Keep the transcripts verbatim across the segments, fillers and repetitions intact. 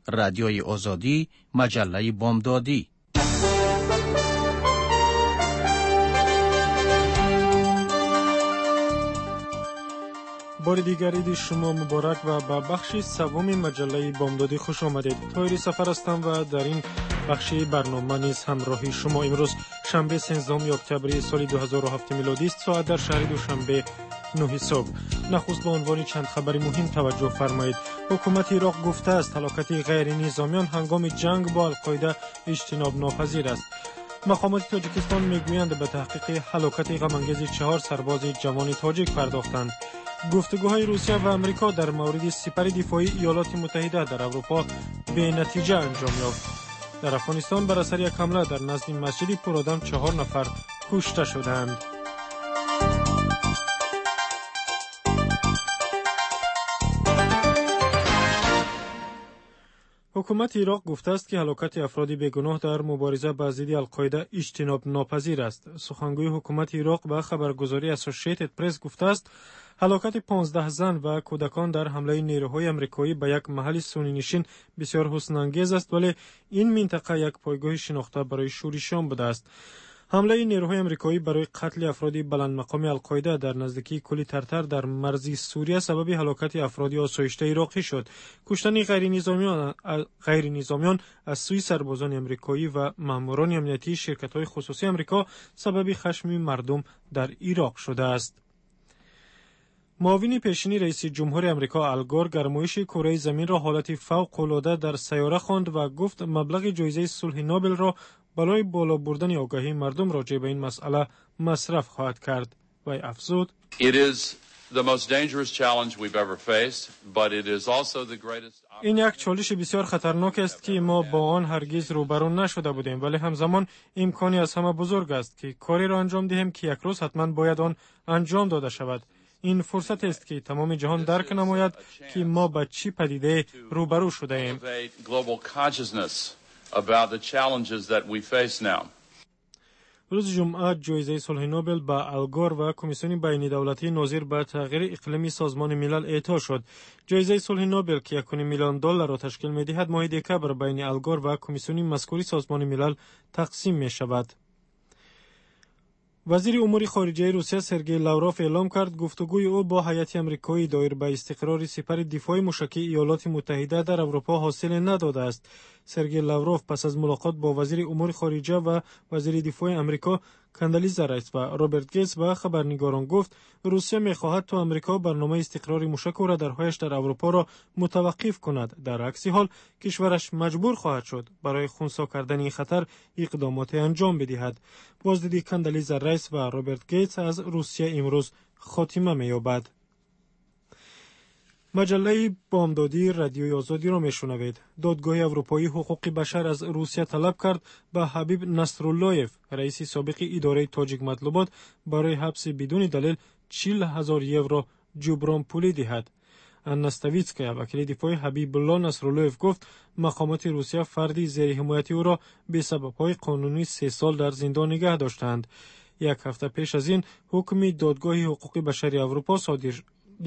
Радиои Озодӣ, маҷаллаи бомдодӣ. Бори дигар иди шумо муборак ва ба бахши севуми маҷаллаи бомдодӣ хуш омадед. Тоҳири Сафар ҳастам ва дар ин бахши барнома низ ҳамроҳи шумо. Имрӯз шанбе сенздаҳуми октябри соли ду ҳазору ҳафт милодист, соат дар шаҳри Душанбе нӯҳи субҳ. Нахуст ба унвони чанд хабари муҳим таваҷҷӯҳ фармоед. Ҳукумати Ироқ гуфтааст ҳалокати ғайринизомиён ҳангоми ҷанг бо Алқоида иҷтинобнопазир аст. Мақомоти Тоҷикистон мегӯянд ба таҳқиқи ҳалокати ғамангези чаҳор сарбози ҷавони тоҷик пардохтанд. Гуфтугӯҳои Русия ва Амрико дар мавриди сипари дифоии Иёлоти Муттаҳида дар Аврупо бенатиҷа анҷом ёфт. Дар Афғонистон бар асари як ҳамла дар назди масҷиди Пуродам чаҳор нафар кушта шуданд. Ҳукумати Ироқ гуфтааст, ки ҳалокати афроди бегуноҳ дар мубориза ба зидди Алқоида иҷтинобнопазир аст. Сухангӯи ҳукумати Ироқ ба хабаргузории Associated Press гуфтааст, ҳалокати понздаҳ зан ва кӯдакон дар ҳамлаи нерӯҳои амрикоӣ ба як маҳалли суннинишин бисёр ҳуснангез аст, вале ин минтақа як пойгоҳи шинохта барои шӯришиён будааст. Ҳамлаи нерӯҳои амрикоӣ барои қатли афроди баландмақоми Алқоида дар наздикии кӯли Тартар дар марзи Сурия сабаби ҳалокати афроди осоиштаи ироқӣ шуд. Куштани ғайринизомиён аз сӯи сарбозони амрикоӣ ва маъмурони амниятии ширкатҳои хусусии Амрико сабаби хашми мардум дар Ироқ шудааст. Муовини пешини раиси ҷумҳури Амрико Ал Гор гармоиши кураи заминро ҳолати фавқулода дар сайёра хонд ва гуфт маблағи ҷоизаи сулҳи Нобелро барои боло бурдани огаҳии мардум роҷеъ ба ин масъала масраф хоҳад кард. Вай афзуд: ин як чолиши бисёр хатарнок аст, ки мо бо он ҳаргиз рӯбарӯ нашуда будем, вале ҳамзамон имкони аз ҳама бузург аст, ки кореро анҷом диҳем, ки як рӯз ҳатман бояд он анҷом дода шавад. Ин фурсатест, ки тамоми ҷаҳон дарк намояд, ки мо ба чӣ падидае рӯбарӯ шудаем. Рӯзи ҷумъа ҷоизаи сулҳи Нобел ба Ал Гор ва Комиссиони байнидавлатии нозир ба тағйири иқлими Созмони Милал эъто шуд. Ҷоизаи сулҳи Нобел, ки як миллион долларро ташкил медиҳад, моҳи декабр байни Ал Гор ва Комиссиони мазкури Созмони Милал тақсим мешавад. Вазири умури хориҷаи Русия Сергей Лавров эълом кард, гуфтугӯи ӯ бо ҳайати амрикоӣ доир ба истиқрори сипари дифои мушакии Иёлоти Муттаҳида дар Аврупо ҳосиле надодааст. Сергей Лавров пас аз мулоқот бо вазири умури хориҷа ва вазири дифои Амрико Кандализа Райс ва Роберт Гейтс ба хабарнигорон гуфт, Русия мехоҳад то Амрико барномаи истиқрори мушаку радарҳояш дар Аврупоро мутаваққиф кунад. Дар акси ҳол кишвараш маҷбур хоҳад шуд барои хунсо кардани ин хатар иқдомоте анҷом бидиҳад. Боздиди Кандализа Райс ва Роберт Гейтс аз Русия имрӯз хотима меёбад. Маҷаллаи бомдодии Радиои Озодиро мешунавед. Додгоҳи Аврупоии ҳуқуқи башар аз Русия талаб кард ба Ҳабиб Насруллоев, раиси собиқи идораи Тоҷикматлубот, барои ҳабси бидуни далел чил ҳазор евро ҷубронпулӣ диҳад. Анна Ставитская, вакили дифои Ҳабибулло Насруллоев, гуфт мақомоти Русия фарди зери ҳимояти ӯро бесабабҳои қонунӣ се сол дар зиндон нигаҳ доштаанд. Як ҳафта пеш аз ин ҳукми Додгоҳи ҳуқуқи башари Аврупо содир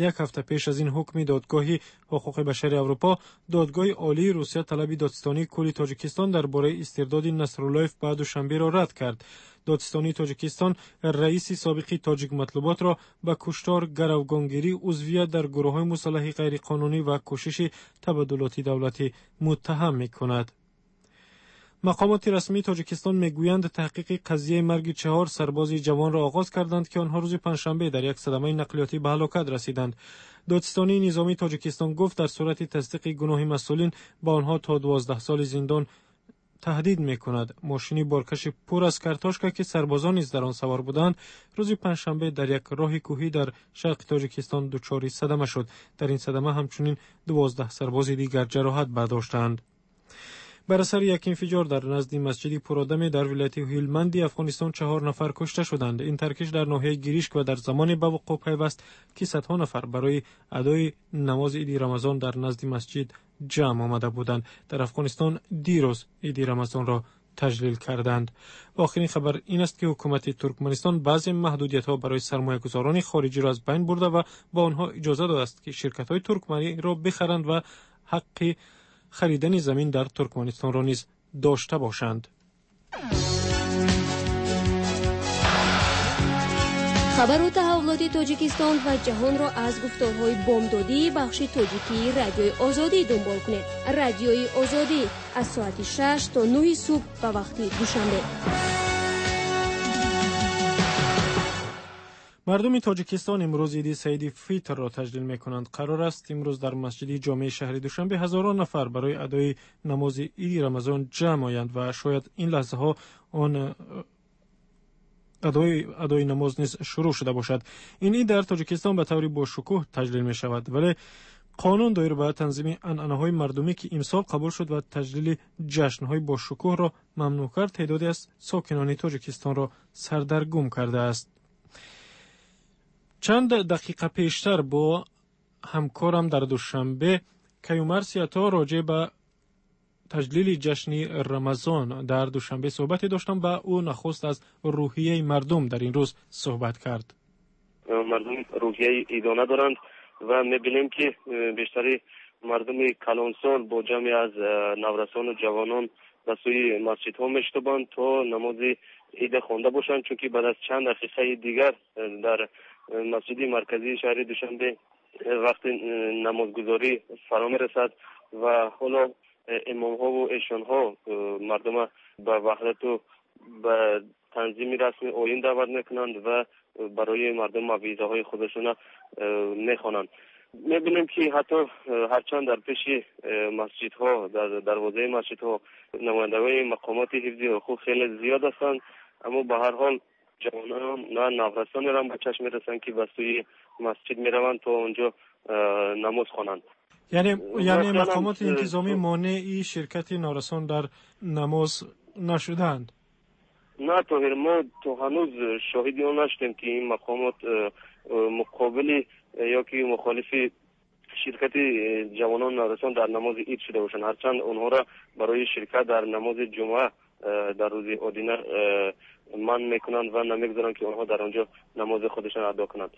як ҳафта пеш аз ин ҳукми Додгоҳи ҳуқуқи башари Аврупо, Додгоҳи Олии Русия талаби додситонии кулли Тоҷикистон дар бораи истирдоди Насруллоев ба Душанберо рад кард. Додситонии Тоҷикистон раиси собиқи Тоҷикматлуботро ба куштор, гаравгонгирӣ, узвият дар гурӯҳҳои мусаллаҳи ғайриқонунӣ ва кӯшиши табаддулоти давлатӣ муттаҳам мекунад. Мақомоти расмии Тоҷикистон мегӯянд таҳқиқи қазияи марги чаҳор сарбози ҷавонро оғоз карданд, ки онҳо рӯзи панҷшанбе дар як садамаи нақлиётӣ ба ҳалокат расиданд. Додситонии низомии Тоҷикистон гуфт дар сурати тасдиқи гуноҳи масъулин ба онҳо то дувоздаҳ соли зиндон таҳдид мекунад. Мошини боркаши пур аз картошка, ки сарбозон низ дар он савор буданд, рӯзи панҷшанбе дар як роҳи кӯҳӣ дар шарқи Тоҷикистон дучори садама шуд. Дар ин садама ҳамчунин дувоздаҳ сарбози дигар ҷароҳат бардоштанд. Бар асари як инфиҷор дар назди масҷиди Пуродаме дар вилояти Ҳилманди Афғонистон чаҳор нафар кушта шуданд. Ин таркиш дар ноҳияи Гиришк ва дар замоне ба вуқӯъ пайваст, ки садҳо нафар барои адои намози иди Рамазон дар назди масҷид ҷамъ омада буданд. Дар Афғонистон дирӯз иди Рамазонро таҷлил карданд. Охирин хабар ин аст, ки ҳукумати Туркманистон баъзе маҳдудиятҳо барои сармоягузорони хориҷиро аз байн бурда ва ба онҳо иҷоза додааст, ки ширкатҳои туркманиро бихаранд ва ҳаққи харидани замин дар Туркманистонро низ дошта бошанд. Хабару таҳаввулоти Тоҷикистон ва ҷаҳонро аз гуфторҳои бомдодии бахши тоҷикии Радиои Озодӣ дунбол кунед. Радиои Озодӣ аз соати шаш то нӯҳи субҳ ба вақти Душанбе. Мардуми Тоҷикистон имрӯз иди Саиди Фитрро таҷлил мекунанд. Қарор аст имрӯз дар масҷиди ҷомеи шаҳри Душанбе ҳазорон нафар барои адои намози иди Рамазон ҷамъ оянд ва шояд ин лаҳзаҳо он адои адои намоз низ шурӯъ шуда бошад. Ин ид дар Тоҷикистон ба таври бошукӯҳ таҷлил мешавад, вале қонун доир ба танзими анъанаҳои мардумӣ, ки имсол қабул шуд ва таҷлили ҷашнҳои бошукӯҳро мамнӯъ кард, теъдоде аз сокинони Тоҷикистонро сардаргум кардааст. Чанд дақиқа пештар бо ҳамкорам дар Душанбе Каюмарс Ято роҷеъ ба таҷлили ҷашни Рамазон дар Душанбе суҳбате доштам ва ӯ нахуст аз рӯҳияи мардум дар ин рӯз суҳбат кард. Мардум рӯҳияи идона доранд ва мебинем, ки бештари мардуми калонсол бо ҷамъе аз наврасону ҷавонон ба сӯи масҷидҳо мешитобанд то намози ида хонда бошанд, чунки баъд аз чанд дақиқаи дигар дар масҷиди марказии шаҳри Душанбе вақти намозгузорӣ фаро мерасад ва ҳоло имомҳову эшонҳо мардума ба ваҳдату ба танзими расми оин даъват мекунанд ва барои мардум мавъизаҳои худашона мехонанд. Мебинем, ки ҳатто ҳарчанд дар пеши масҷидҳо, дар дарвозаи масҷидҳо намояндагони мақомоти ҳифзи ҳуқуқ хеле зиёд ҳастанд, аммо ба ҳар ҳол ҷавонон ва наврасонеро ба чашм мерасанд, ки ба сӯи масҷид мераванд то онҷо намоз хонанд. Яъне яъне мақомоти интизомӣ монеи ширкати наврасон дар намоз нашуданд? На, Тоҳир, мо то ҳанӯз шоҳиди он нашудем, ки ин мақомот муқобили ё ки мухолифи ширкати ҷавонон наврасон дар намози ид шуда бошанд. Ҳарчанд онҳоро барои ширкат дар намози ҷумъа дар рӯзи одина манъ мекунанд ва намегузоранд, ки онҳо дар он ҷо намози худашон адо кунанд.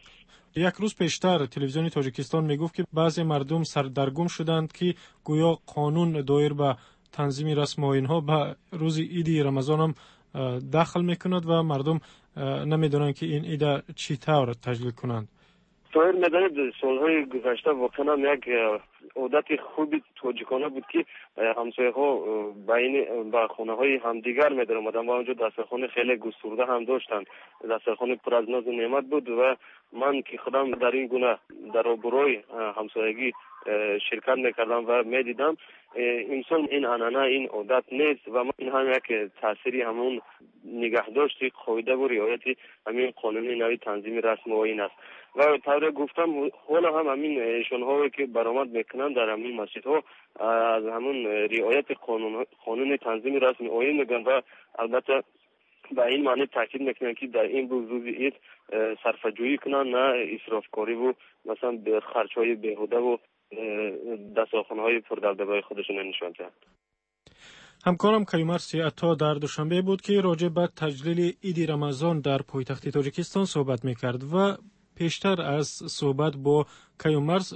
Як рӯз пештар телевизиони Тоҷикистон мегуфт, ки баъзе мардум сардаргум шуданд, ки гӯё қонун доир ба танзими расму оинҳо ба рӯзи иди Рамазонам дахл мекунад ва мардум намедонанд, ки ин ида чӣ тавр таҷлил кунанд. Тоҳир, медонед, солҳои гузашта воқеан ҳам як одати хуби тоҷикона буд, ки ҳамсояҳо байни ба хонаҳои ҳамдигар медаромаданд ва онҷо дастархони хеле густурда ҳам доштанд. Дастархони пур аз нозу неъмат буд ва ман ки худам дар ин гуна дар обрӯи ҳамсоягӣ ширкат мекардам ва медидам, имсол ин анъана, ин одат нест ва ин ҳам як таъсири ҳамон нигаҳдошти қоидаву риояти ҳамин қонуни нави танзими расму оин аст. Ва тавре гуфтам, ҳоло ҳам ҳамин эшонҳое ки баромад мекунанд дар ҳамин масҷидҳо аз ҳамон риояти қонуни танзими расми оин мегӯянд ва албатта ба ин маъни таъкид мекунанд, ки дар ин рӯзи ид сарфаҷӯӣ кунанд, на исрофкориву масалан харҷҳои беҳудаву дастархонаҳои пурдабдабаи худашонро нишон диҳанд. Ҳамкорам Каюмарс Ято дар Душанбе буд, ки роҷеъ ба таҷлили иди Рамазон дар пойтахти Тоҷикистон суҳбат мекард ва пештар аз суҳбат бо Каюмарс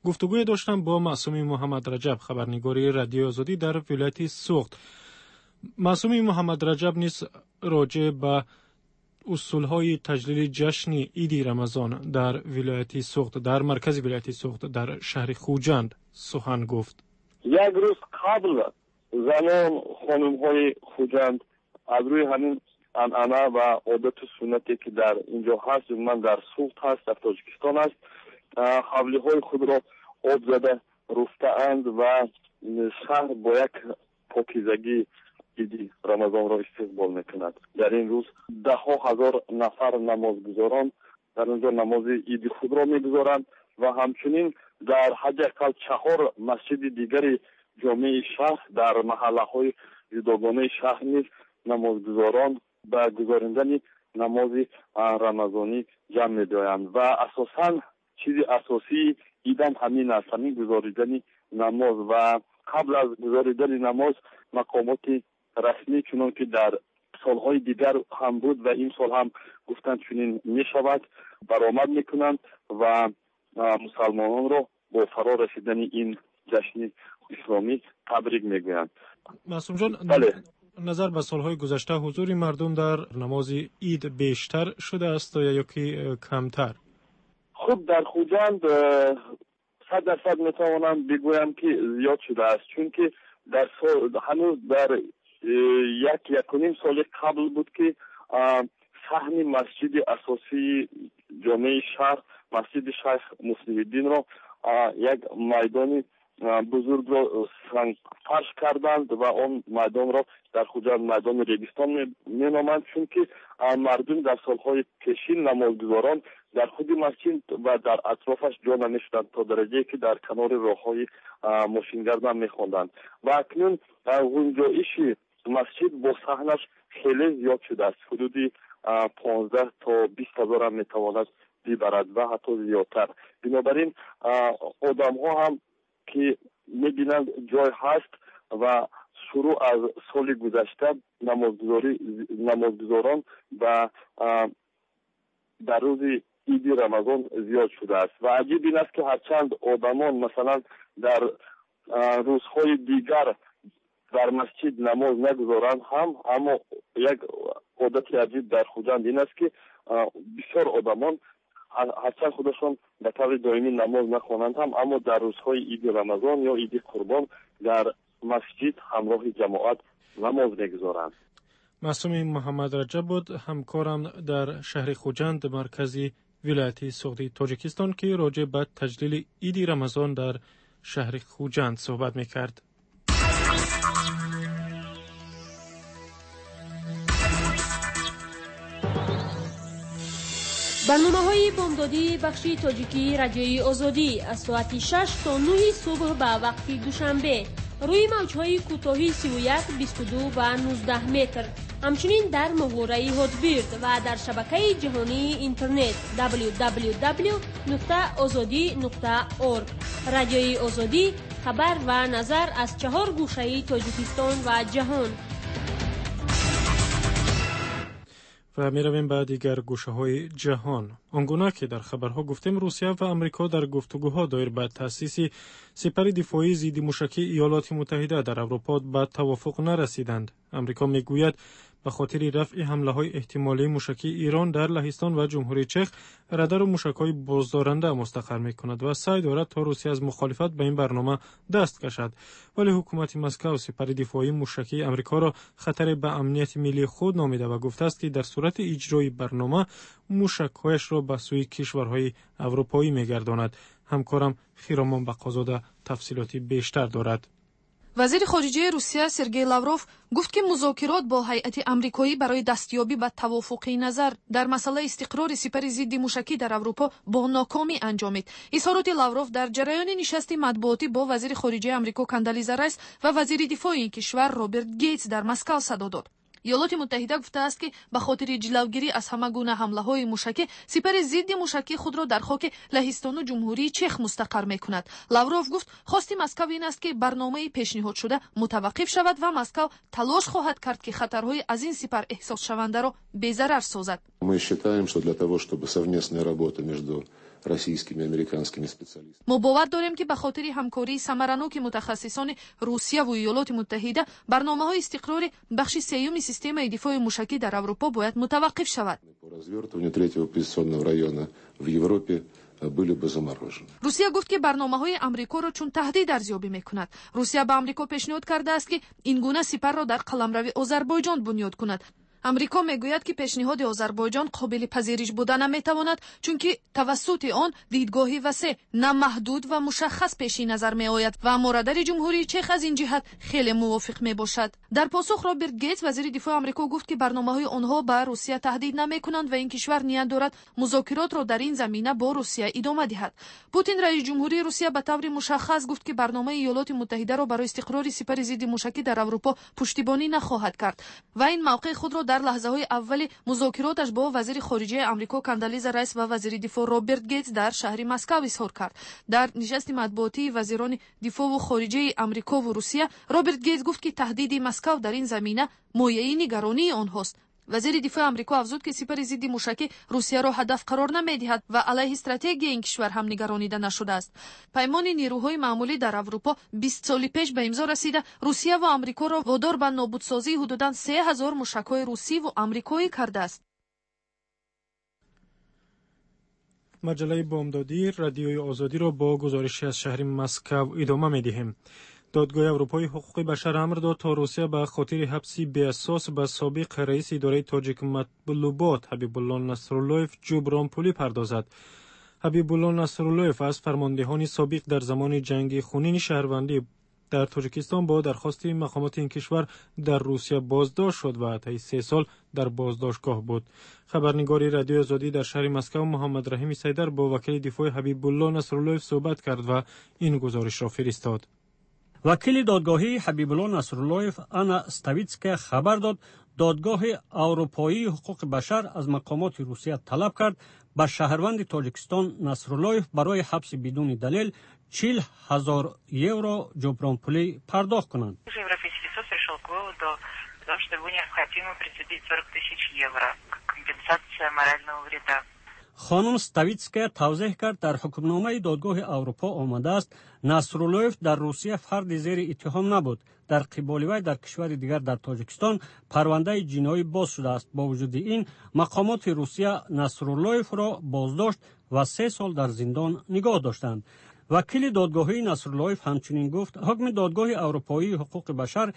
гуфтугӯе доштам бо Маъсуми Муҳаммадраҷаб, хабарнигори Радиои Озодӣ дар вилояти Суғд. Маъсуми Муҳаммадраҷаб низ роҷеъ ба усулҳои таҷлили ҷашни иди Рамазон дар вилояти Суғд, дар маркази вилояти Суғд, дар шаҳри Хуҷанд сухан гуфт. Як рӯз қабл занон, хонумҳои Хуҷанд аз рӯи ҳамин анъана ва одату суннате, ки дар инҷо ҳаст, умуман дар Суғд ҳаст, дар Тоҷикистон аст, ҳавлиҳои худро об зада руфтаанд ва шаҳр бо як покизагӣ иди Рамазонро истиқбол мекунад. Дар ин рӯз даҳҳо ҳазор нафар намозгузорон дар онҷо намози иди худро мегузоранд ва ҳамчунин дар ҳадди ақал чаҳор масҷиди дигари ҷомеи шаҳр дар маҳаллаҳои ҷудогонаи шаҳр низ намозгузорон ба гузоридани намози рамазонӣ ҷамъ мебиёянд ва асосан чизи асосии идам ҳамин аст, ҳамин гузоридани намоз. Ва қабл аз гузоридани намоз мақомоти расмӣ, чунон ки дар солҳои дигар ҳам буд ва ин сол ҳам гуфтанд чунин мешавад, баромад мекунанд ва мусалмононро бо фаро расидани ин ҷашни исломӣ табрик мегӯянд. Маъсумҷон, назар ба солҳои гузашта ҳузури мардум дар намози ид бештар шудааст ё ки камтар? Хуб, дар Хуҷанд сад дарсад метавонам бигӯям, ки зиёд шудааст, чунки дар ҳанӯз дар як якуним соли қабл буд, ки саҳни масҷиди асосии ҷомеаи шаҳр, масҷиди Шайх Муслиҳиддинро як майдони бузургро сангфарш карданд ва он майдонро дар Хуҷанд майдони Регистон меноманд, чунки мардум дар солҳои пешин намозгузорон дар худи масҷид ва дар атрофаш ҷо намешуданд, то дараҷае ки дар канори роҳҳои мошингард мехонданд. Ва акнун гунҷоиши масҷид бо саҳнаш хеле зиёд шудааст, ҳудуди понздаҳ то бист ҳазорам метавонад бибарад ва ҳатто зиёдтар. Бинобар ин одамҳо ҳам ки мебинанд ҷой ҳаст ва шурӯъ аз соли гузашта намозгузорон ба дар рӯзи иди Рамазон зиёд шудааст. Ва аҷиб ин аст, ки ҳарчанд одамон масалан дар рӯзҳои дигар дар масҷид намоз нагузоранд ҳам, аммо як одати аҷиб дар Хуҷанд ин аст, ки бисёр одамон ҳарчанд худашон ба таври доимӣ намоз нахонанд ҳам, аммо дар рӯзҳои иди Рамазон ё иди Қурбон дар масҷид ҳамроҳи ҷамоат намоз мегузоранд. Маъсуми Муҳаммад Раҷаб буд, ҳамкорам дар шаҳри Хуҷанд, маркази вилояти Суғди Тоҷикистон, ки роҷеъ ба таҷлили иди Рамазон дар шаҳри Хуҷанд суҳбат мекард. Барномаҳои бомдодии бахши тоҷикии Радиои Озодӣ аз соати шаш то нӯҳи субҳ ба вақти Душанбе рӯи мавҷҳои кӯтоҳи сию як, бисту ду ва нуздаҳ метр, ҳамчунин дар моҳвораи Ҳотбирд ва дар шабакаи ҷаҳонии интернет дабл ю дабл ю дабл ю нуқта озодӣ нуқта орг. Радиои Озодӣ хабар ва назар аз чаҳор гӯшаи Тоҷикистон ва ҷаҳон. Ва меравем ба дигар гӯшаҳои ҷаҳон. Он гуна ки дар хабарҳо гуфтем, Русия ва Амрико дар гуфтугӯҳо доир ба таъсиси сипари дифоии зидди мушакии Иёлоти Муттаҳида дар Аврупо ба тавофуқ нарасиданд. Амрико мегӯяд ба хотири рафъи ҳамлаҳои эҳтимолии мушакии Ирон дар Лаҳистон ва Ҷумҳурии Чех радару мушакҳои боздоранда мустақар мекунад ва саъй дорад то Русия аз мухолифат ба ин барнома даст кашад. Вале ҳукумати Москав сипари дифоии мушакии Амрикоро хатаре ба амнияти миллии худ номида ва гуфтааст, ки дар сурати иҷрои барнома мушакҳояшро ба сӯи кишварҳои аврупоӣ мегардонад. Ҳамкорам Хиромон Бақозода тафсилоти бештар дорад. Вазири хориҷаи Русия Сергей Лавров гуфт, ки музокирот бо ҳайати амрикоӣ барои дастёбӣ ба тавофуқи назар дар масъалаи истиқрори сипари зидди мушакӣ дар Аврупо бо нокомӣ анҷомид. Изҳороти Лавров дар ҷараёни нишасти матбуотӣ бо вазири хориҷаи Амрико Кандализа Райс ва вазири дифои ин кишвар Роберт Гейтс дар Москав садо дод. Иёлоти Муттаҳида гуфтааст, ки ба хотири ҷилавгирӣ аз ҳама гуна ҳамлаҳои мушакӣ сипари зидди мушакӣ худро дар хоки Лаҳистону Ҷумҳурии Чех мустақар мекунад. Лавров гуфт, хости Москав ин аст, ки барномаи пешниҳодшуда мутаваққиф шавад ва Москав талош хоҳад кард, ки хатарҳои аз ин сипар эҳсосшавандаро безарар созад. Мы считаем, что для того, чтобы совместная работа между российскими и американскими специалистами. Мо бовар дорем, ки ба хотири ҳамкории самараноки мутахассисони Русияву Иёлоти Муттаҳида барномаҳои истиқрори бахши сеюми системаи дифои мушакӣ дар Аврупо бояд мутаваққиф шавад. По развертыванию третьего позиционного района в Европе были бы заморожены. Русия гуфт, ки барномаҳои Амрикоро чун таҳдид арзёбӣ мекунад. Русия ба Амрико пешниҳод кардааст, ки ин гуна сипарро дар қаламрави Озарбойҷон бунёд кунад. Амрико мегӯяд, ки пешниҳоди Озарбойҷон қобили пазириш буда наметавонад, чунки тавассути он дидгоҳи васеъ, намаҳдуд ва мушаххас пеши назар меояд ва морадари Ҷумҳурии Чех аз ин ҷиҳат хеле мувофиқ мебошад. Дар посух Роберт Гейтс, вазири дифои Амрико, гуфт, ки барномаҳои онҳо ба Русия таҳдид намекунанд ва ин кишвар ният дорад музокиротро дар ин замина бо Русия идома диҳад. Путин, раиси ҷумҳурии Русия, ба таври мушаххас гуфт, ки барномаи Иёлоти Муттаҳидаро барои истиқрори сипари зидди мушакӣ дар Аврупо пуштибонӣ нахоҳад кард ва ин мавқеи худро дар лаҳзаҳои аввали музокироташ бо вазири хориҷаи Амрико Кандализа Райс ва вазири дифоъ Роберт Гейтс дар шаҳри Москав изҳор кард. Дар нишасти матбуотии вазирони дифоъву хориҷаи Амрикову Русия Роберт Гейтс гуфт, ки таҳдиди Москав дар ин замина мояи нигаронии онҳост. Вазири дифои Амрико афзуд, ки сипари зидди мушакӣ Русияро ҳадаф қарор намедиҳад ва алайҳи стратегияи ин кишвар ҳам нигаронида нашудааст. Паймони нерӯҳои маъмулӣ дар Аврупо бист соли пеш ба имзо расида, Русия ва Амрикоро водор ба нобудсозии ҳудудан се ҳазор мушакҳои русӣ ва амрикоӣ кардааст. Маҷаллаи бомдодӣ Радиои Озодиро бо гузориши аз шаҳри Москав идома медиҳем. Додгоҳи Аврупои ҳуқуқи башар амр дод, то Русия ба хотири ҳабси беасос ба собиқ раиси идораи Тоҷикматлубот Ҳабибулло Насруллоев ҷубронпулӣ пардозад. Ҳабибулло Насруллоев аз фармондеҳони собиқ дар замони ҷанги хунини шаҳрвандӣ дар Тоҷикистон бо дархости мақомоти ин кишвар дар Русия боздошт шуд ва таи се сол дар боздоштгоҳ буд. Хабарнигори Радиои Озодӣ дар шаҳри Москав Муҳаммад Раҳими Сайдар бо вакили дифои Ҳабибулло Насруллоев суҳбат кард ва ин гузоришро фиристод. Вакили додгоҳии Ҳабибулло Насруллоев Анна Ставитская хабар дод, додгоҳи Аврупоии ҳуқуқи башар аз мақомоти Русия талаб кард ба шаҳрванди Тоҷикистон Насруллоев барои ҳабси бидуни далел чил ҳазор евро ҷубронпулӣ пардохт кунанд. Европейский суд пришел к выводу о том, что ему необходимо присудить сорок тысяч евро как компенсация морального вреда. Хонум Ставитская тавзеҳ кард, дар ҳукмномаи додгоҳи Аврупо омадааст, Насруллоев дар Русия фарди зери иттиҳом набуд. Дар қиболи вай дар кишвари дигар дар Тоҷикистон парвандаи ҷиноӣ боз шудааст. Бо вуҷуди ин мақомоти Русия Насруллоевро боздошт ва се сол дар зиндон нигоҳ доштанд. Вакили додгоҳии Насруллоев ҳамчунин гуфт, ҳукми додгоҳи Аврупоии ҳуқуқи башар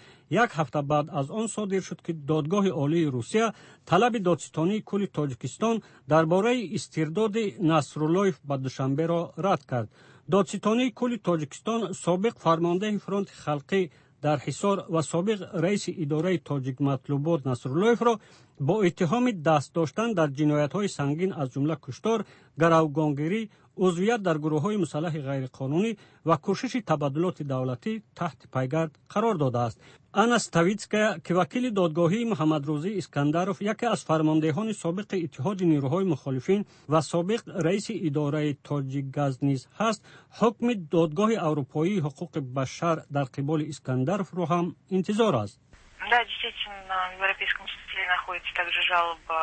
як ҳафта баъд аз он содир шуд, ки додгоҳи Олии Русия талаби додситонии кулли Тоҷикистон дар бораи истирдоди Насруллоев ба Душанберо рад кард. Додситонии кулли Тоҷикистон собиқ фармондеҳи фронти халқӣ дар Ҳисор ва собиқ раиси идораи Тоҷикматлубот Насруллоевро бо иттиҳоми даст доштан дар ҷиноятҳои сангин аз ҷумла куштор, гаравгонгирӣ, узвият дар гурӯҳҳои мусаллаҳи ғайриқонунӣ ва кӯшиши табаддулоти давлатӣ таҳти пайгард қарор додааст. Анна Ставитская, ки вакили додгоҳии Муҳаммадрӯзӣ Искандаров, яке аз фармондеҳони собиқи Иттиҳоди нерӯҳои мухолифин ва собиқ раиси идораи Тоҷикгаз низ ҳаст, ҳукми додгоҳи Аврупоии ҳуқуқи башар дар қиболи Искандаровро ҳам интизор аст. Да, действительно, в Европейском суде находится также жалоба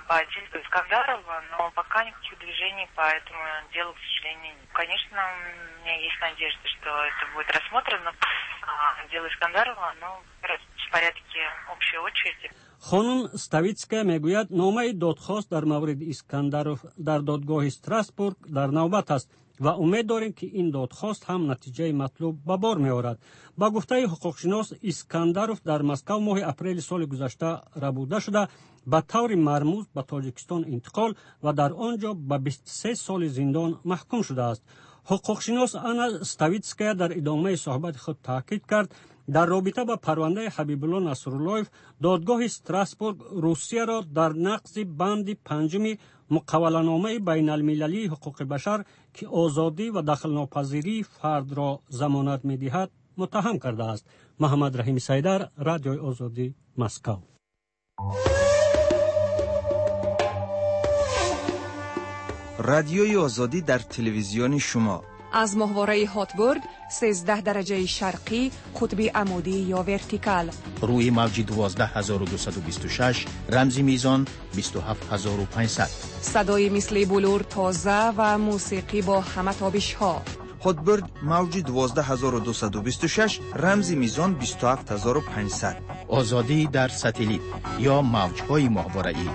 по делу Искандарова, но пока никаких движений по этому делу, к сожалению, нет. Конечно, у меня есть надежда, что это будет рассмотрено. Дело Искандарова, оно в порядке общей очереди. Хонум Ставитская мегӯяд, номаи додхост дар мавриди Искандаров дар додгоҳи Страсбург дар навбат аст ва умед дорем, ки ин додхост ҳам натиҷаи матлуб ба бор меорад. Ба гуфтаи ҳуқуқшинос, Искандаров дар Москав моҳи апрели соли гузашта рабуда шуда, ба таври мармуз ба Тоҷикистон интиқол ва дар он ҷо ба бисту се соли зиндон маҳкум шудааст. Ҳуқуқшинос Анна Ставитская дар идомаи суҳбати худ таъкид кард, дар робита ба парвандаи Ҳабибулло Насруллоев додгоҳи Страсбург Русияро дар нақзи банди панҷуми муқавваланомаи байналмилалии ҳуқуқи башар, ки озодӣ ва дахлнопазирии фардро замонат медиҳад, муттаҳам кардааст. Муҳаммад Раҳими Сайдар, Радиои Озодӣ, Москав. Радиои Озодӣ дар телевизиони шумо аз моҳвораи Хотбурд сездаҳ дараҷаи шарқӣ, қутби амудӣ ё вертикал, рӯи мавҷи дувоздаҳ ҳазору дусаду бисту шаш, рамзи мизон бисту ҳафт ҳазору панҷсад. Садои мисли булур тоза ва мусиқӣ бо ҳама тобишҳо. Хотбурд мавҷи дувоздаҳ ҳазору дусаду бисту шаш, рамзи мизон бисту ҳафт ҳазору панҷсад. Озодӣ дар сателлит ё мавҷҳои моҳвораӣ.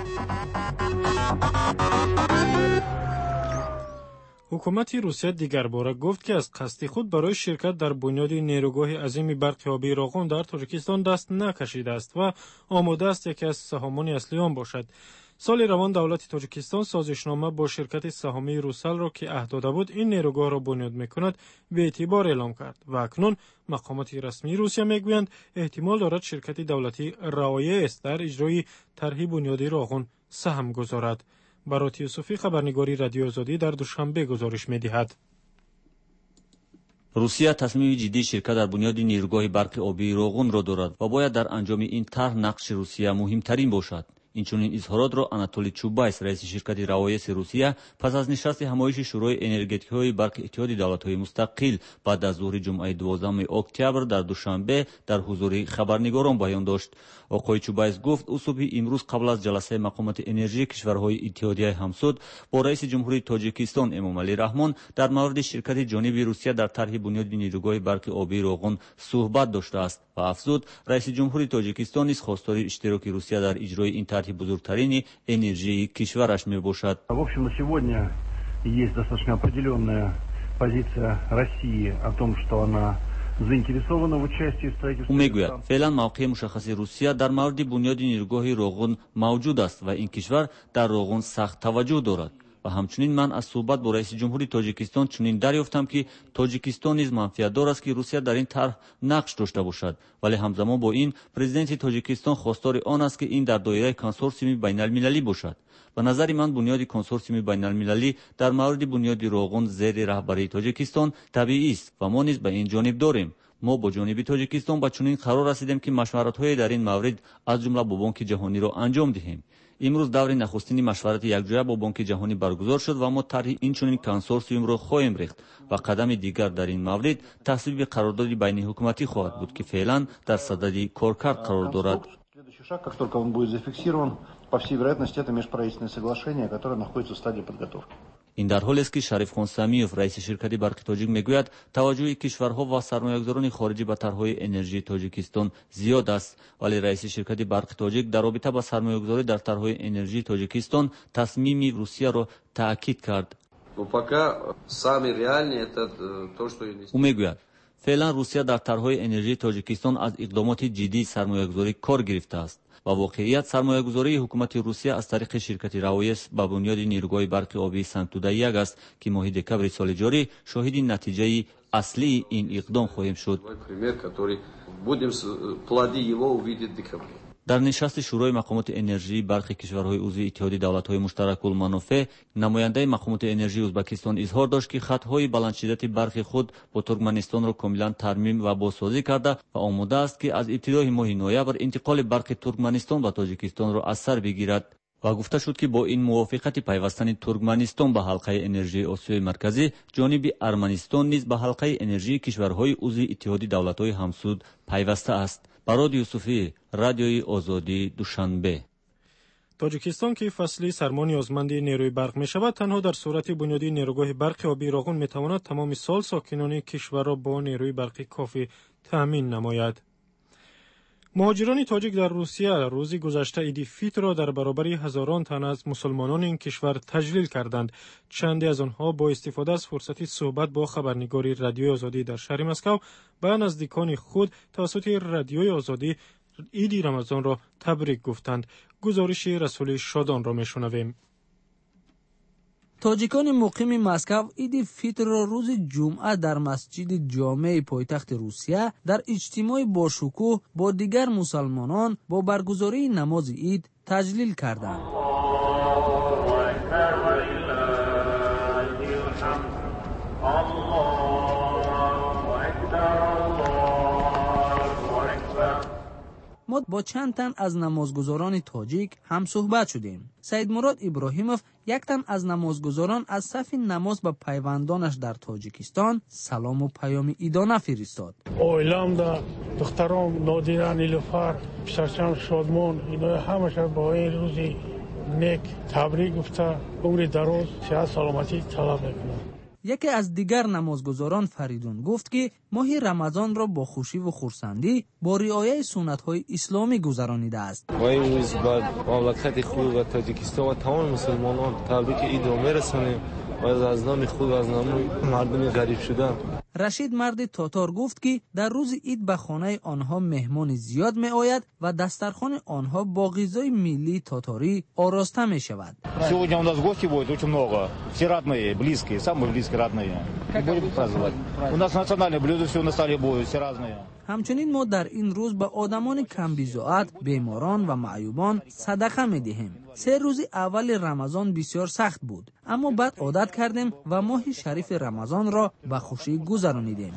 Ҳукумати Русия дигарбора гуфт, ки аз қасди худ барои ширкат дар бунёди нерӯгоҳи азими барқи обии Роғун дар Тоҷикистон даст накашидааст ва омода аст яке аз саҳомони аслии он бошад. Соли равон давлати Тоҷикистон созишнома бо ширкати саҳомии Русалро, ки аҳд дода буд ин нерӯгоҳро бунёд мекунад, беэътибор эълом кард ва акнун мақомоти расмии Русия мегӯянд, эҳтимол дорад ширкати давлатии РАОЭС дар иҷрои тарҳи бунёди Роғун саҳм гузорад. Барот Юсуфӣ, хабарнигори Радиои Озодӣ дар Душанбе гузориш медиҳад. Русия тасмими ҷиддии ширкат дар бунёди нерӯгоҳи барқи обии Роғунро дорад ва бояд дар анҷоми ин тарҳ нақши Русия муҳимтарин бошад. Инчунин изҳоротро Анатолий Чубайс, раиси ширкати РАОЭСи Русия, пас аз нишасти ҳамоиши Шӯрои энергетикаҳои барқи Иттиҳоди давлатҳои мустақил баъд аз зуҳри ҷумъаи дувоздаҳуми октябр дар Душанбе дар ҳузури хабарнигорон баён дошт. Оқои Чубайс гуфт, ӯ субҳи имрӯз қабл аз ҷаласаи мақомоти энержии кишварҳои иттиҳодияи ҳамсуд бо раиси ҷумҳурии Тоҷикистон Эмомалӣ Раҳмон дар мавриди ширкати ҷониби Русия дар тарҳи бунёди нерӯгоҳи барқи обии Роғун суҳбат доштааст ва афзуд, раиси ҷумҳури Тоҷикистон низ хостори иштироки Русия дар иҷрои ин тарҳи бузургтарини энержии кишвараш мебошад. В общем, на сегодня есть достаточно определенная позиция России о том, что она заинтересована в участии в строительстве. Ӯ мегӯяд, феълан мавқеи мушаххаси Русия дар мавриди бунёди нерӯгоҳи Роғун мавҷуд аст ва ин кишвар дар Роғун сахт таваҷҷӯҳ дорад. Ва ҳамчунин ман аз суҳбат бо раиси ҷумҳури Тоҷикистон чунин дарёфтам, ки Тоҷикистон низ манфиатдор аст, ки Русия дар ин тарҳ нақш дошта бошад. Вале ҳамзамон бо ин президенти Тоҷикистон хостори он аст, ки ин дар доираи консорсиуми байналмилалӣ бошад. Ба назари ман, бунёди консорсиуми байналмилалӣ дар мавриди бунёди Роғун зери раҳбарии Тоҷикистон табиист ва мо низ ба ин ҷониб дорем. Мо бо ҷониби Тоҷикистон ба чунин қарор расидем, ки машваратҳое дар ин маврид аз ҷумла бо Бонки Ҷаҳониро анҷом диҳем. Имрӯз даври нахустини машварати якҷоя бо Бонки Ҷаҳонӣ баргузор шуд ва мо тарҳи инчунин консорсиумро хоҳем рехт ва қадами дигар дар ин маврид тасвиби қарордоди байниҳукуматӣ хоҳад буд, ки феълан дар садади коркард қарор дорад. Следующий шаг, как только он будет зафиксирован, по всей вероятности, это межправительственное соглашение, которое находится в стадии подготовки. Ин дар ҳолест, ки Шарифхон Самиев, раиси ширкати барқи Тоҷик, мегӯяд, таваҷҷӯҳи кишварҳо ва сармоягузорони хориҷӣ ба тарҳҳои энержии Тоҷикистон зиёд аст. Вале раиси ширкати барқи Тоҷик дар робита ба сармоягузорӣ дар тарҳҳои энержии Тоҷикистон тасмими Русияро таъкид кард. Ӯ мегӯяд, феълан Русия дар тарҳҳои энержии Тоҷикистон аз иқдомоти ҷиддии сармоягузорӣ кор гирифтааст. Ба воқеият, сармоягузории ҳукумати Русия аз тариқи ширкати РАОЭС ба бунёди нерӯгоҳи барқи обии Сангтуда як аст, ки моҳи декабри соли ҷорӣ шоҳиди натиҷаи аслии ин иқдом хоҳем шуд. Дар нишасти Шӯрои мақомоти энержии барқи кишварҳои узви Иттиҳоди давлатҳои муштаракулманофеъ намояндаи мақомоти энержии Ӯзбекистон изҳор дошт, ки хатҳои баландшиддати барқи худ бо Туркманистонро комилан тармим ва бозсозӣ карда ва омода аст, ки аз ибтидои моҳи ноябр интиқоли барқи Туркманистон ба Тоҷикистонро аз сар бигирад. Ва гуфта шуд, ки бо ин мувофиқати пайвастани Туркманистон ба ҳалқаи энержии Осиёи Марказӣ, ҷониби Арманистон низ ба ҳалқаи энержии кишварҳои узви Иттиҳоди давлатҳои ҳамсуд пайваста аст. Барод Юсуфӣ, Радиои Озодӣ, Душанбе. Тоҷикистон, ки фасли сармо ниёзманди нерӯи барқ мешавад, танҳо дар сурати бунёди нерӯгоҳи барқи обии Роғун метавонад тамоми сол сокинони кишварро бо нерӯи барқи кофӣ таъмин намояд. Муҳоҷирони тоҷик дар Русия рӯзи гузашта иди Фитрро дар баробари ҳазорон тан аз мусулмонони ин кишвар таҷлил карданд. Чанде аз онҳо бо истифода аз фурсати суҳбат бо хабарнигори Радиои Озодӣ дар шаҳри Москав ба наздикони худ тавассути Радиои Озодӣ иди Рамазонро табрик гуфтанд. Гузориши Расули Шодонро мешунавем. Тоҷикони муқими Москав иди Фитрро рӯзи ҷумъа дар масҷиди ҷомеи пойтахти Русия дар иҷтимои бошукӯҳ бо дигар мусалмонон бо баргузории намози ид таҷлил карданд. Мо бо чанд тан аз намозгузорони тоҷик ҳамсуҳбат шудем. Саидмурод Иброҳимов, як тан аз намозгузорон, аз сафи намоз ба пайвандонаш дар Тоҷикистон салому паёми идона фиристод. Оиламда духтаром Нодира, Нилуфар, писарчам Шодмон, ино ҳамаша бо ин рӯзи нек табрик гуфта, умри дароз, сиҳат, саломатӣ талаб мекунам. Яке аз дигар намозгузорон Фаридун гуфт, ки моҳи Рамазонро бо хушиву хурсандӣ бо риояи суннатҳои исломӣ гузаронидааст. Мо имрӯз ба мамлакати худ ва Тоҷикистон ва тамоми мусулмонон табрики идро мерасонем ва аз номи худ ва аз номи мардуми ғариб шуда. Рашид марди тотор гуфт, ки дар рӯзи ид ба хонаи онҳо меҳмони зиёд меояд ва дастархони онҳо бо ғизои миллии тоторӣ ороста мешавад. Сегодня у нас гости будет очень много. Все родные, близкие, самые близкие родные. Будем праздновать. У нас национальные блюда все на столе будут, все разные. Ҳамчунин мо дар ин рӯз ба одамони камбизоат, беморон ва маъюбон садақа медиҳем. Се рӯзи аввали Рамазон бисёр сахт буд, аммо баъд одат кардем ва моҳи шарифи Рамазонро ба хушӣ гузаронидем.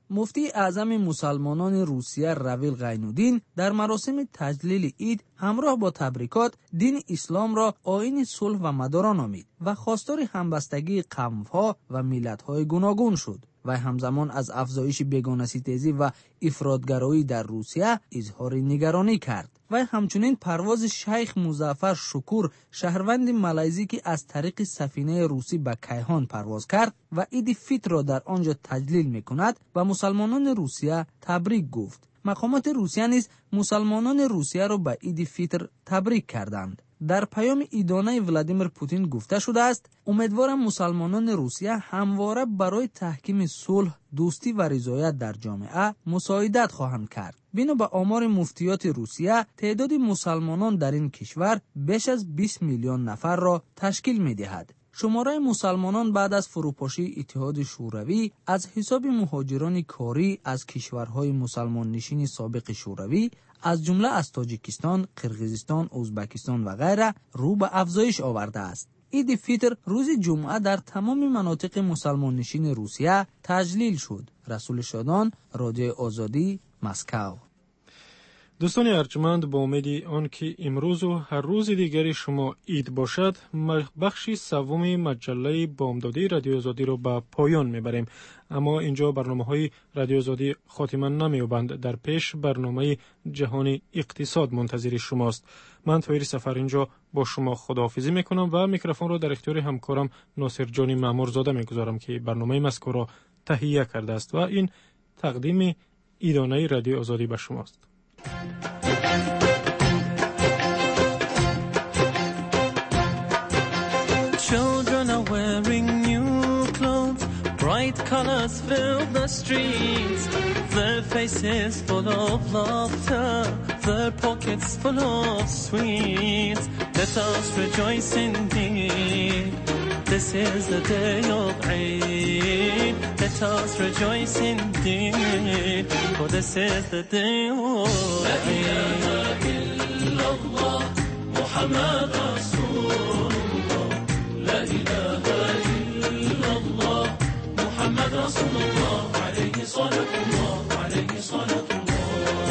Муфтии Аъзами мусалмонони Русия Равил Ғайнуддин дар маросими таҷлили ид ҳамроҳ бо табрикот дини исломро оини сулҳ ва мадоро номид ва хостори ҳамбастагии қавмҳо ва миллатҳои гуногун шуд. Вай ҳамзамон аз афзоиши бегонаситезӣ ва ифротгароӣ дар Русия изҳори нигаронӣ кард. Вай ҳамчунин парвози шайх Музаффар Шукур, шаҳрванди малайзӣ, ки аз тариқи сафинаи русӣ ба Кайҳон парвоз кард ва иди фитрро дар он ҷо таҷлил мекунад, ба мусалмонони Русия табрик гуфт. Мақомоти Русия низ мусалмонони Русияро ба иди фитр табрик карданд. Дар паёми идонаи Владимир Путин гуфта шудааст: умедворам мусалмонони Русия ҳамвора барои таҳкими сулҳ, дӯстӣ ва ризоят дар ҷомеа мусоидат хоҳанд кард. Бино ба омори муфтиёти Русия, теъдоди мусалмонон дар ин кишвар беш аз бист миллион нафарро ташкил медиҳад. Шумораи мусалмонон баъд аз фурӯпошии Иттиҳоди Шӯравӣ аз ҳисоби муҳоҷирони корӣ аз кишварҳои мусалмоннишини собиқи Шӯравӣ, аз ҷумла аз Тоҷикистон, Қирғизистон, Ӯзбекистон ва ғайра рӯ ба афзоиш овардааст. Иди фитр рӯзи ҷумъа дар тамоми манотиқи мусалмоннишини Русия таҷлил шуд. Расули Шодон, Радиои Озодӣ, Москав. Дӯстони арҷманд, бо умеди он ки имрӯзу ҳар рӯзи дигари шумо ид бошад, бахши севуми маҷаллаи бомдодии Радиои Озодиро ба поён мебарем. Аммо инҷо барномаҳои Радиои Озодӣ хотима намеёбанд. Дар пеш барномаи ҷаҳони иқтисод мунтазири шумост. Ман Тоҳири Сафар инҷо бо шумо худоҳофизӣ мекунам ва микрофонро дар ихтиёри ҳамкорам Носирҷони Маъмурзода мегузорам, ки барномаи мазкурро таҳия кардааст ва ин тақдими идонаи Радиои Озодӣ ба шумост. Children are wearing new clothes, bright colors fill the streets, their faces full of laughter, their pockets full of sweets. Let us rejoice indeed, this is the day of Eid. Let us rejoice indeed, for this is the day of Eid. La ilaha illallah, Muhammad Rasulullah. La ilaha illallah, Muhammad Rasulullah. Alayhi salatullah, alayhi salatullah.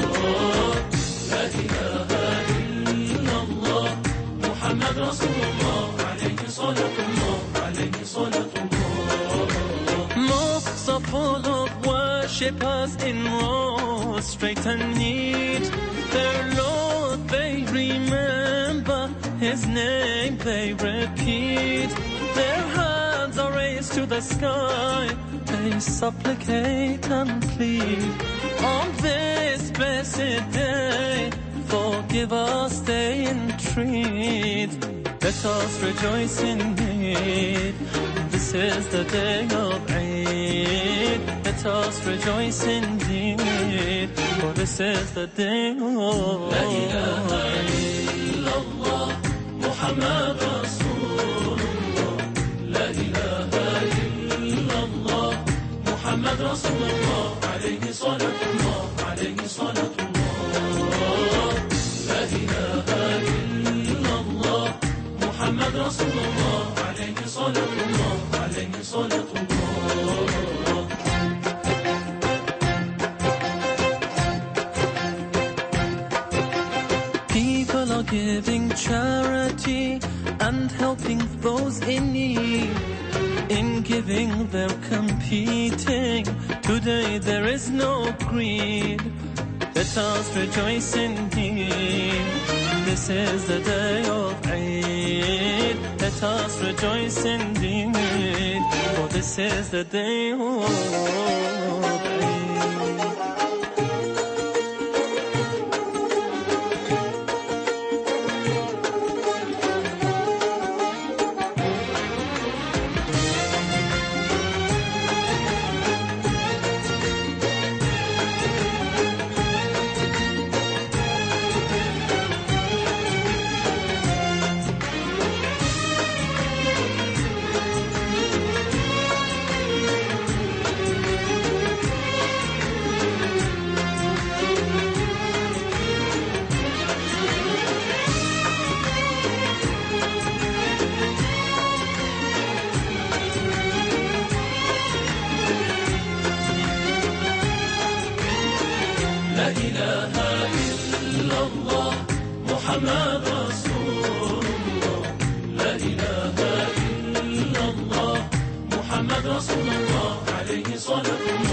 La ilaha illallah, Muhammad Rasulullah. Alayhi salatullah, alayhi salatullah. Mosques are full of worshippers in rows, straight and neat. Their Lord they remember, His name they repeat. Their hands are raised to the sky, they supplicate and plead. On this blessed day, forgive us, they entreat. Let us rejoice indeed, this is the day of Eid. Let us rejoice indeed, for this is the day of La ilaha illallah, Muhammad Rasulullah. La ilaha illallah, Muhammad Rasulullah. Alayhi salatullah, alayhi salatullah. La ilaha illallah, Muhammad Rasulullah. Alayhi salatullah, alayhi salatullah. People are giving charity and helping those in need. In giving they're competing. Today there is no greed. Let us rejoice indeed, this is the day of Eid. Let us rejoice indeed, for this is the day of Eid. إله إلا الله محمد رسول الله لا إله إلا الله محمد رسول الله عليه صلاة الله.